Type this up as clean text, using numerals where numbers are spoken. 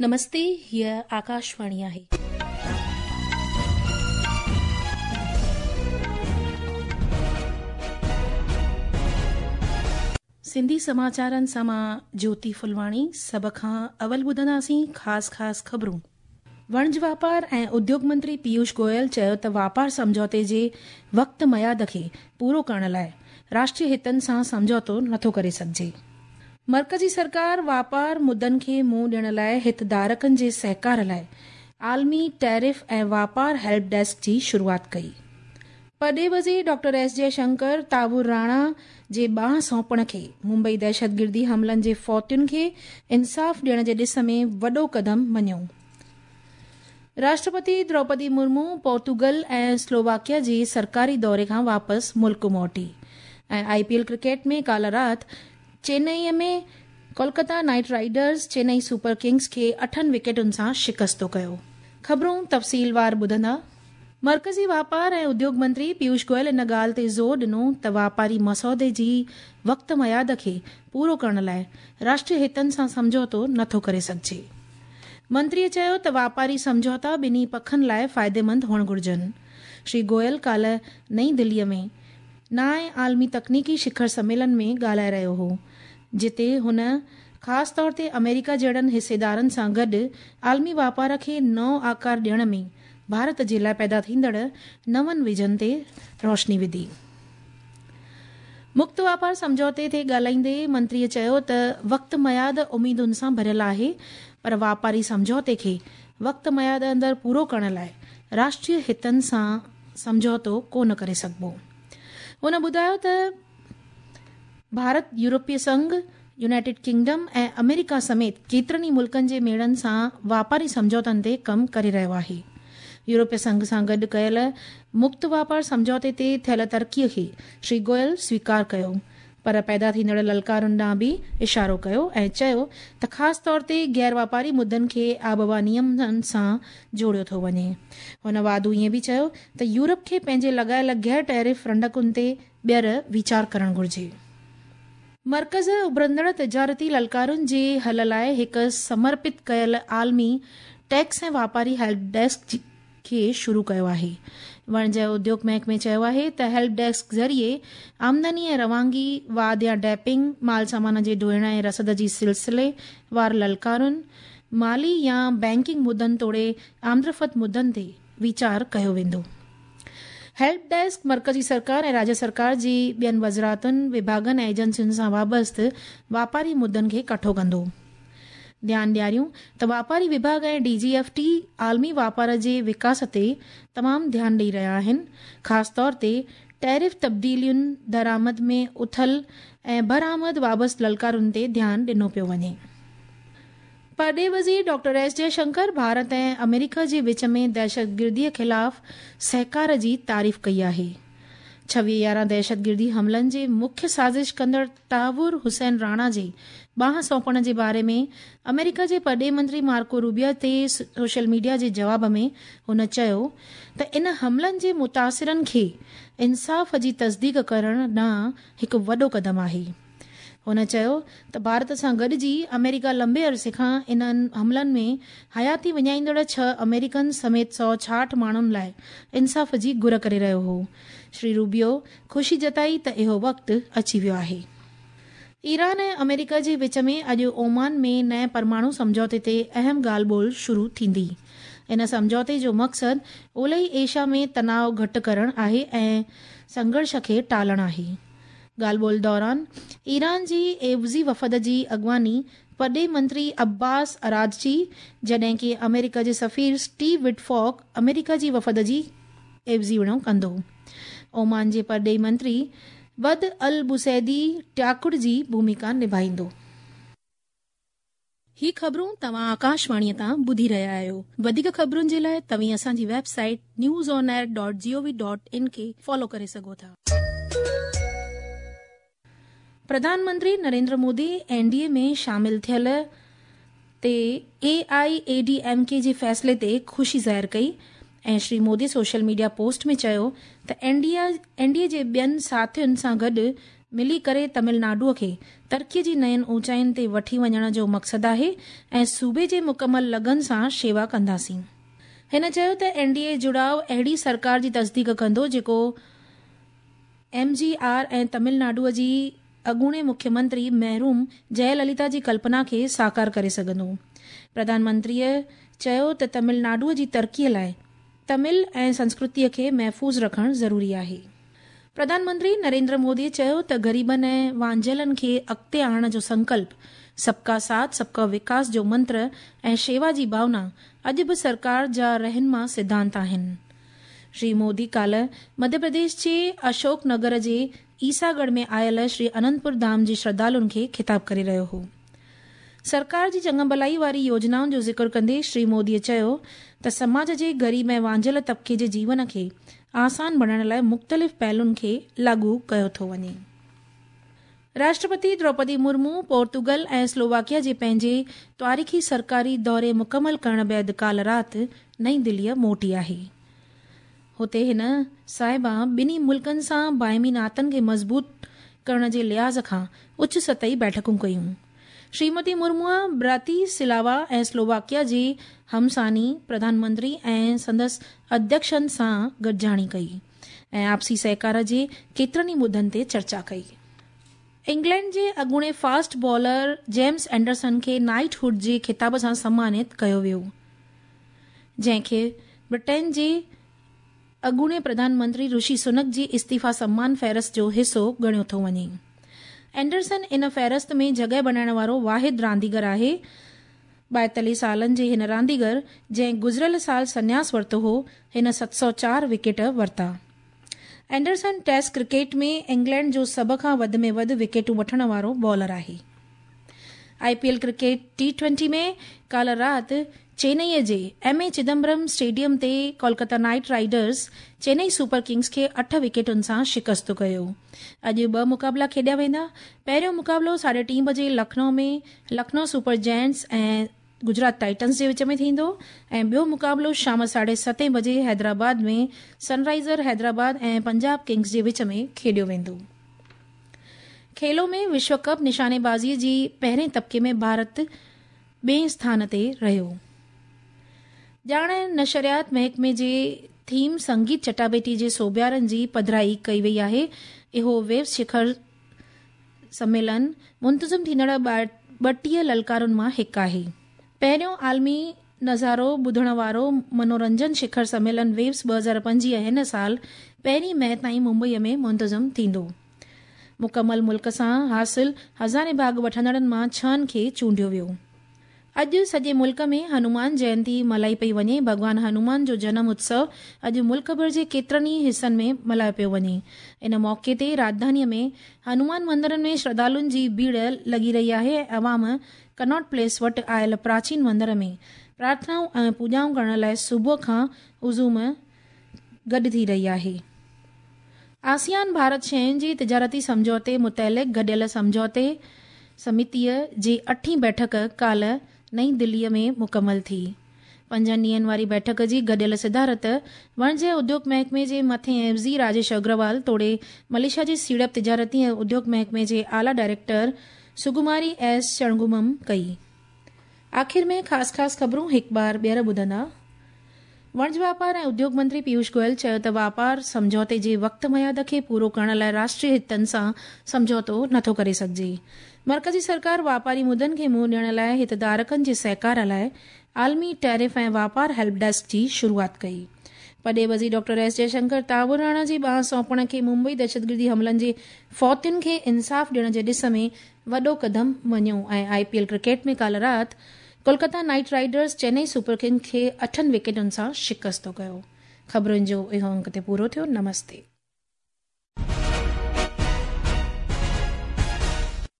نمستي هيء آڪاشواڻي آهي. سنڌي سماچارن سان مان جوتي ڦلواڻي سڀ کان اول ٻڌنداسين خاص خاص خبرون. وڻج واپار ۽ اديوگ منتري پيوش گويل چيو ته واپار سمجهوتي جي وقت ميعاد کي پورو ڪرڻ لاء راشٽري هتن سان سمجهوتو نٿو ڪري سگهجي. مرڪزي سرڪار واپار مدن کي منهن ڏيڻ لاء هتڌارڪن جي سهڪار لاء عالمي ٽيرف ۽ واپار هيلپ ڊيسڪ جي شروعات ڪئي. پرڏيهي وزير ڊاڪٽر ايس جئه شنڪر تاور راڻا جي ٻانهن سونپڻ کي ممبئي دهشتگردي حملن جي فوتين کي انصاف ڏيڻ جي ڏس ۾ وڏو قدم مڃيو. راشٽرپتي دروپدي مرمو پورتوگل ۽ سلوواڪيا جي سرڪاري دوري کان واپس ملڪ موٽي ۽ آء پي ايل ڪرڪيٽ ۾ ڪالهه رات Chennai ۾ Kolkata Knight Riders Chennai Super Kings کي اٺن وڪيٽن سان شڪستو ڪيو. خبرون تفصيلوار ٻڌندا. مرڪزي واپار ۽ اديوگ منتري پيوش گويل ان ڳالهه تي زور ڏنو ته واپاري مسودي جي وقت ميعاد کي پورو ڪرڻ لاء راشٽري هتن سان سمجهوتو نٿو ڪري سگهجي. منتريء چيو ته واپاري سمجهوتا ٻنهي پکن لاء فائديمند هئڻ گهرجن. شري گويل ڪالهه نئين دليء ۾ نائين عالمي تڪنيڪي شکر سميلن ۾ ڳالهائي رهيو هو، جتي هن خاص طور تي آمريڪا جهڙن حصيدارن سان گڏ عالمي واپار کي نئون آڪار ڏيڻ ۾ ڀارت جي لاء پيدا ٿيندڙ نون ويزن تي روشني وڌي. مڪت واپار سمجهوتي تي ڳالهائيندي منتريء چيو ته وقت ميعاد اميدن سان ڀريل آهي پر واپاري سمجهوتي کي وقت ميعاد اندر پورو ڪرڻ لاء راشٽري هتن سان سمجهوتو ڪو نه ڪري سگهبو. هن ٻڌايو ته ڀارت يورپي سنگهه، يونائيٽيڊ ڪنگڊم ۽ آمريڪا سميت ڪيترن ئي ملڪن جي ميڙن سان واپاري سمجهوتن تي ڪم ڪري رهيو آهي. يورپي سنگهه سان گڏ ڪيل مڪت واپار سمجهوتي تي ٿيل ترقيء کي شري گويل سويڪار ڪيو پر پيدا ٿيندڙ للڪارن ڏانهن به اشارو ڪيو ۽ چيو ته خاص طور تي غير واپاري مدن کي آبهوا نيمن سان جوڙيو ٿو وڃي. هن واڌو ائين به چيو ته يورپ کي پنهنجي لڳايل غير ٽيرف رنڊڪن تي ٻيهر ويچار ڪرڻ گهرجي. مرڪز اڀرندڙ تجارتي للڪارن جي حل لاء هڪ سمرپت ڪيل عالمي ٽيڪس ۽ واپاري هيلپ ڊيسڪ کي شروع ڪيو آهي. وڻج ۽ اديوگ محڪمي چيو آهي ته هيلپ ڊيسڪ ذريعي آمدني ۽ روانگي، واڌ يا ڊيپنگ، مال سامان جي ڍوئڻ ۽ رسد جي سلسلي وار للڪارن، مالي يا بئنڪنگ مدن توڙي آمدرفت مدن تي ويچار ڪيو ويندو. هيلپ ڊيسڪ مرڪزي سرڪار ۽ راجيه سرڪار جي ٻين وزارتن، وڀاڳن ۽ ايجنسين سان وابسته واپاري مدن کي ڪٺو ڪندو. ڌيان ڏياريون ته واپاري وڀاڳ ۽ ڊي جي ايف ٽي عالمي واپار جي وڪاس تي تمام ڌيان ڏئي رهيا آهن، خاص طور تي ٽيرف تبديلين، درآمد ۾ اٿل ۽ برآمد وابسته للڪارن تي ڌيان ڏنو پيو وڃي. پرڏيهي وزير ڊاڪٽر ايس جئه شنڪر ڀارت ۽ آمريڪا جي وچ ۾ دهشتگردي خلاف سهڪار جي تعريف ڪئي آهي. 26/11 دهشتگردي حملن جي مکيه سازش ڪندڙ تهور حسين راڻا جي ٻانهن سونپڻ جي باري ۾ آمريڪا جي پرڏيهي منتري مارڪو روبيو تي سوشل ميڊيا جي جواب ۾ هن چيو ته ان حملن جي متاثرن کي انصاف جي تصديق ڪرڻ ڏانهن هڪ وڏو قدم آهي. هن چيو ته ڀارت سان گڏجي آمريڪا لنبي عرصي کان انهن حملن ۾ حياتي وڃائيندڙ ڇهه آمريڪن سميت 166 ماڻهن لاء انصاف جي گهر ڪري رهيو هو. شري روبيو خوشي جتائي ته اهو وقت اچي ويو آهي. ايران ۽ آمريڪا جي وچ ۾ اڄ اومان ۾ نئين پرماڻو سمجهوتي تي اهم ڳالهه ٻولهه شروع ٿيندي. ان سمجهوتي جو مقصد اولهي ايشيا ۾ تناء گهٽ ڪرڻ آهي ۽ سنگهرش کي ٽالڻ آهي. ڳالهه ٻولهه دوران ايران جي عيوضي وفد جي اڳواڻي پرڏيهي منتري عباس عراقچي جڏهن ڪي آمريڪا جي سفير اسٽيو وٽفاڪ آمريڪا جي وفد جي عيوضيوڻو ڪندو. اومان جي پرڏيهي منتري بد البوسيدي ٽياڪڙ جي ڀوميڪا نڀائيندو. هي خبرون توهان آڪاشواڻيء تان ٻڌي رهيا آهيو. وڌيڪ خبرن جي لاء توهين اسان جي website news on air dot G O V dot in کي فالو ڪري سگهو ٿا. پرڌان منتري نريندر مودي اين ڊي اي ۾ شامل ٿيل تي A I A D M K جي فيصلي تي خوشي ظاهر ڪئي ۽ Shri Modi social media post ۾ چيو ته اين ڊي اي جي ٻين ساٿين سان گڏ ملي ڪري تمل ناڊوء کي ترقيء جي نين اوچائين تي وٺي وڃڻ جو مقصد آهي ۽ صوبي جي مڪمل لگن سان شيوا ڪنداسين. هن چيو ته اين ڊي اي جڙاء اهڙي سرڪار جي تصديق ڪندو جيڪو ايم جي آر ۽ تمل ناڊوء جي اڳوڻي مکيه منتري محروم جئه لليتا جي ڪلپنا کي ساڪار ڪري سگهندو. پرڌان منتريء چيو ته تمل ناڊوء جي ترقيء لاء تمل ۽ سنسڪرتيء کي محفوظ رکڻ ضروري آهي. پرڌان منتري نريندر موديء چيو ته غريبن ۽ وانجهيلن کي اڳتي آڻڻ جو سنڪلپ، سب ڪا ساٿ سب ڪا وڪاس جو منتر ۽ شيوا جي ڀاونا اڄ به سرڪار جا رهنما سڌانت آهن. شري مودي ڪالهه مڌيه پرديش جي اشوڪ نگر جي عيسيٰ ڳڙهه ۾ آيل شري انندپور ڌام جي شرڌالن کي خطاب ڪري رهيو هو. سرڪار جي چڱڀلائي واري يوجنائن جو ذڪر ڪندي شري مودي چيو ته سماج جي غريب ۽ وانجهيل طبقي جي جيون کي آسان بڻائڻ لاء مختلف پهلن کي لاڳو ڪيو ٿو وڃي. راشٽرپتي دروپدي مرمو پورتوگل ۽ سلوواڪيا جي پنهنجي تواريخي سرڪاري دوري مڪمل ڪرڻ بعد ڪالهه رات نئين دهليء موٽي آهي. هتي هن صاحبه ٻنهي ملڪن سان باهمي ناتن کي مضبوط ڪرڻ جي لحاظ کان اچ سطحي بيٺڪون ڪيون. شريمتي مرموء براتي سلاوا ۽ سلوواڪيا جي همثاني پرڌان منتري ۽ سندس اڌيڪشن سان گڏجاڻي ڪئي ۽ آپسي سهڪار جي ڪيترن ئي مدن تي چرچا ڪئي. انگلينڊ جي اڳوڻي فاسٽ بالر جيمز اينڊرسن کي نائيٽ هوڊ جي خطاب سان سمانت ڪيو ويو. جنهن کي برٽين جي اڳوڻي پرڌان منتري رشي سنڪ جي استعيفيٰ سمان فهرست جو حصو ڳڻيو ٿو وڃي. اينڊرسن ان فهرست ۾ جڳهه بڻائڻ وارو واحد رانديگر آهي. 42 سالن جي هن رانديگر جنهن گذريل سال سنياس ورتو هو، هن 704 وڪيٽ ورتا. اينڊرسن ٽيسٽ ڪرڪيٽ ۾ انگلينڊ جو سڀ کان وڌ ۾ وڌ وڪيٽون وٺڻ وارو بالر آهي. I P L cricket T twenty ۾ ڪالهه رات چينئي جي ايم اي چدمبرم اسٽيڊيم تي Kolkata Knight Riders Chennai Super Kings کي اٺ وڪيٽن سان شڪست ڪيو. اڄ ٻه مقابلا کيڏيا ويندا. پهريون مقابلو ساڍي ٽين بجي Lucknow ۾ Lucknow Super Giants ۽ Gujarat Titans جي وچ ۾ ٿيندو ۽ ٻيو مقابلو شام ساڍي ستين بجي حيدرآباد ۾ سن رائيزر حيدرآباد ۽ پنجاب ڪنگز جي وچ ۾ کيڏيو ويندو. کيلو ۾ وشو ڪپ نشانيبازي جي پهرين طبقي ۾ ڀارت ٻئين اسٿان تي رهيو. ڄاڻ ۽ نشريات محڪمي جي ٿيم سنگيت چٽاڀيٽي جي سوڀيارن جي پڌرائي ڪئي وئي آهي. اهو ويوس شکر سميلن منتظم ٿيندڙ 32 للڪارن مان هڪ آهي. پهريون عالمي نظارو ٻڌڻ وارو منورنجن شکر سميلن ويوس 2025 هن سال پهرين مئي تائين ممبئي ۾ منتظم ٿيندو. مڪمل ملڪ سان حاصل هزارين ڀاڳ وٺندڙن مان ڇهن کي چونڊيو ويو. اڄ سڄي ملڪ ۾ هنومان جينتي ملهائي پئي وڃي. ڀڳوان هنومان جو جنم اتسو اڄ ملڪ ڀر جي ڪيترن ئي حصن ۾ ملهايو پيو وڃي. ان موقعي تي راڄڌاني ۾ هنومان مندرن ۾ شرڌالن جي ڀيڙ لڳي رهي آهي ۽ عوام ڪناٽ پليس وٽ آيل پراچين مندر ۾ پرارٿنائون ۽ پوڄائون ڪرڻ لاء صبح کان هجوم گڏ ٿي رهي آهي. آسيان ڀارت شين جي تجارتي سمجهوتي متعلق گڏيل سمجهوتي سمتيء جي اٺين بيٺڪ ڪالهه نئين دهليء ۾ مڪمل ٿي. پنجن ڏينهن واري بيٺڪ جي گڏيل صدارت وڻج ۽ اديوگ محڪمي جي مٿئين عيوضي راجيش اگروال توڙي ملائيشيا جي سيڙپ تجارتي ۽ اديوگ محڪمي جي اعليٰ ڊائريڪٽر سگوماري ايس شڻگومم ڪئي. آخر ۾ خاص خاص خبرون هڪ بار ٻيهر ٻڌندا. وڻج واپار ۽ اديوگ منتري پيوش گويل چيو ته واپار سمجهوتي جي وقت ميعاد کي پورو ڪرڻ لاء راشٽري هتن سان سمجهوتو نٿو ڪري سگهجي. مرڪزي سرڪار واپاري مدن کي منهن ڏيڻ لاء هتڌارڪن جي سهڪار لاء عالمي ٽيرف ۽ واپار هيلپ ڊيسڪ جي شروعات ڪئي. پرڏيهي وزير ڊاڪٽر ايس جئشنڪر تهور راڻا جي ٻانهن سونپڻ کي ممبئي دهشتگردي حملن جي فوتين کي انصاف ڏيڻ جي ڏس ۾ وڏو قدم مڃيو ۽ آء پي ايل ڪرڪيٽ ۾ ڪالهه رات Kolkata Knight Riders Chennai Super Kings کي اٺن وڪيٽن سان شڪست ڪيو. خبرن جو اهو انڪ تي پورو ٿيو. نمستي.